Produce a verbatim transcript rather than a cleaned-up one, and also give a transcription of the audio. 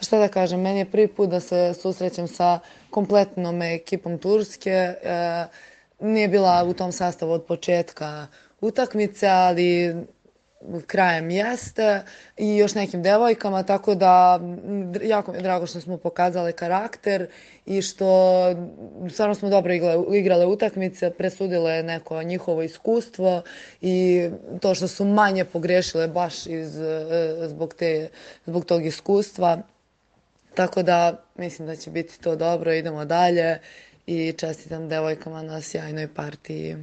Šta da kažem, meni je prvi put da se susrećem sa kompletnom ekipom Turske. E, nije bila u tom sastavu od početka utakmice, ali krajem jeste i još nekim devojkama, tako da jako mi je drago što smo pokazali karakter i što stvarno smo dobro igrale, igrale utakmice, presudile neko njihovo iskustvo i to što su manje pogrešile baš iz, e, zbog, te, zbog tog iskustva. Tako da mislim da će biti to dobro, idemo dalje i čestitam devojkama na sjajnoj partiji.